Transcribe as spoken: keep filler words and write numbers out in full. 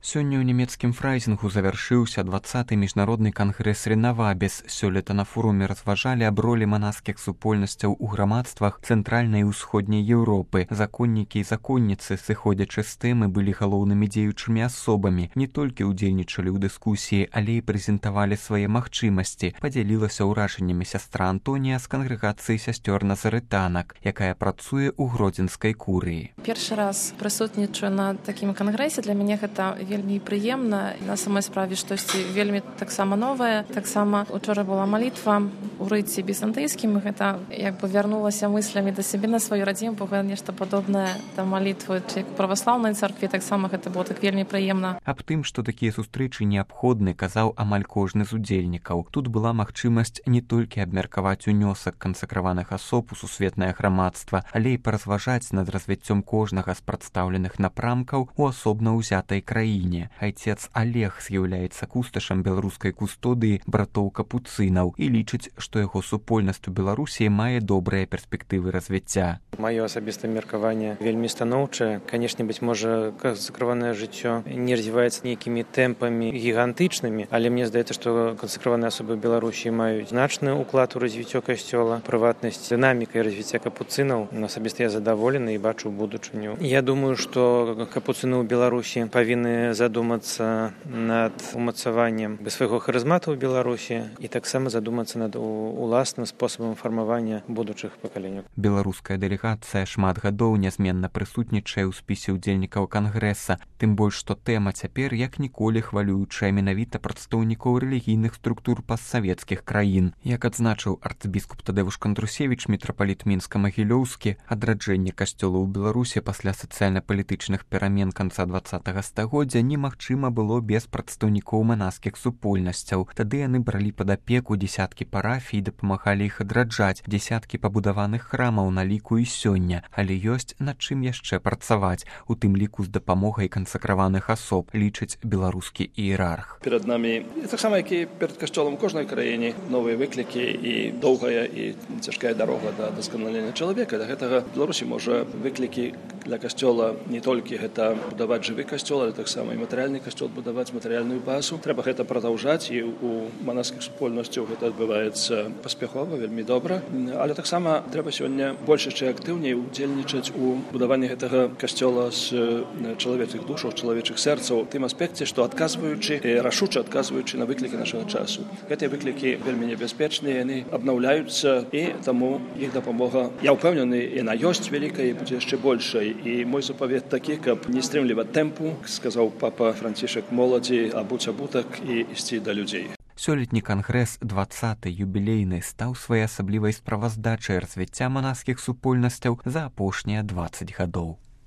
Сёння ў нямецкім фрайзінгу завяршыўся дваццаты міжнародны кангрэс Ренавабес. Сёлета на форуме разважалі аб ролі манаскіх супольнасцяў у грамадствах цэнтральнай і ўсходняй Еўропы. Законнікі і законніцы, сыходзячы з тэмы, былі галоўнымі дзеючымі асобамі. Не толькі ўдзельнічалі ў дыскусіі, але і прэзентавалі свае магчымасці. Падзялілася ўражаннямі сястра Антонія з кангрэгацыі сясцёр назарытанак, якая працуе ў гродзенскай курыі. Першы раз прысутнічаю на такім кангрэсе. Для мяне гэта вельмі прыемна. На самой справе штосьці вельмі таксама новае. Таксама учора была малітва ў рыце візантыйскім. Гэта як бы вярнулася мыслямі да сябе на сваю радзіму, бо нешта падобнае да малітвы як у праваслаўнай царкве. Таксама гэта было так вельмі прыемна. Аб тым, што такія сустрэчы неабходны, казаў амаль кожны з удзельнікаў. Тут была магчымасць не толькі абмеркаваць унёсак кансакраваных асоб у сусветнае грамадства, але і паразважаць над развіццём кожнага з прадстаўленых напрамкаў у асобна ўзятай краіне. Айцец Олег з'яўляецца кусташам беларускай кустодыі братоў капуцынаў і лічыць, што яго супольнасць у Беларусі мае добрыя перспектывы развіцця. Маё асабістае меркаванне вельмі станоўчае. Канешне, быць можа, кансакраванае жыццё не развіваецца нейкімі тэмпамі гігантычнымі, але мне здаецца, што кансакраваныя асобы Беларусі маюць значны ўклад у развіццё касцёла, прыватнасць, дынаміка і развіцця капуцынаў. Асабіста я задаволены і бачу будучыню. Я думаю, што капуцыны ў Беларусі павінны задумацца над умацаваннем свайго харызмату ў Беларусі і таксама задумацца над уласным спосабам фармавання будучых пакаленняў. Беларуская дэлегацыя шмат гадоў нязменна прысутнічае ў спісе ўдзельнікаў кангрэса, тым больш што тэма цяпер як ніколі хвалюючая менавіта прадстаўнікоў рэлігійных структур пастсавецкіх краін. Як адзначыў арцыбіскуп Тадэвуш Кандрусевіч, мітрапаліт Мінска-Магілёўскі, адраджэнне касцёла ў Беларусі пасля сацыяльна-палітычных перамен канца дваццатага стагоддзя немагчыма было без прадстаўнікоў манаскіх супольнасцяў. Тады яны бралі пад апеку дзесяткі парафій, дапамагалі іх адраджаць, дзесяткі пабудаваных храмаў на ліку і сёння, але ёсць над чым яшчэ працаваць, у тым ліку з дапамогай кансакраваных асоб, лічыць беларускі іерарх. Перад намі, таксама як і перад касцёлам кожнай краіне, новыя выклікі і доўгая і цяжкая дарога да дасканалення чалавека. Да гэтага Беларусі можа выклікі для касцёла не толькі гэта будаваць жывы касцёл, але таксама і матэрыяльны касцёл будаваць матэрыяльную базу. Трэба гэта прадаўжаць, і у манаскіх супольнасцяў гэта адбываецца паспяхова, вельмі добра. Але таксама трэба сёння больш яшчэ актыўней удзельнічаць у будаванні гэтага касцёла з чалавечых душаў, чалавечых сэрцаў, тым аспекце, што адказваючы, рашуча адказваючы на выклікі нашага часу. Гэтыя выклікі вельмі небяспечныя, яны абнаўляюцца, і таму іх дапамога, я ўпэўнены, яна ёсць вялікая і будзе яшчэ большай. І мой запавет такі, каб не стрымліваць тэмпу, сказаў папа Францішак моладзі, абуць абутак і ісці да людзей. Сёлетні кангрэс дваццаты юбілейны стаў своеасаблівай справаздачай развіцця манаскіх супольнасцяў за апошнія дваццаць гадоў.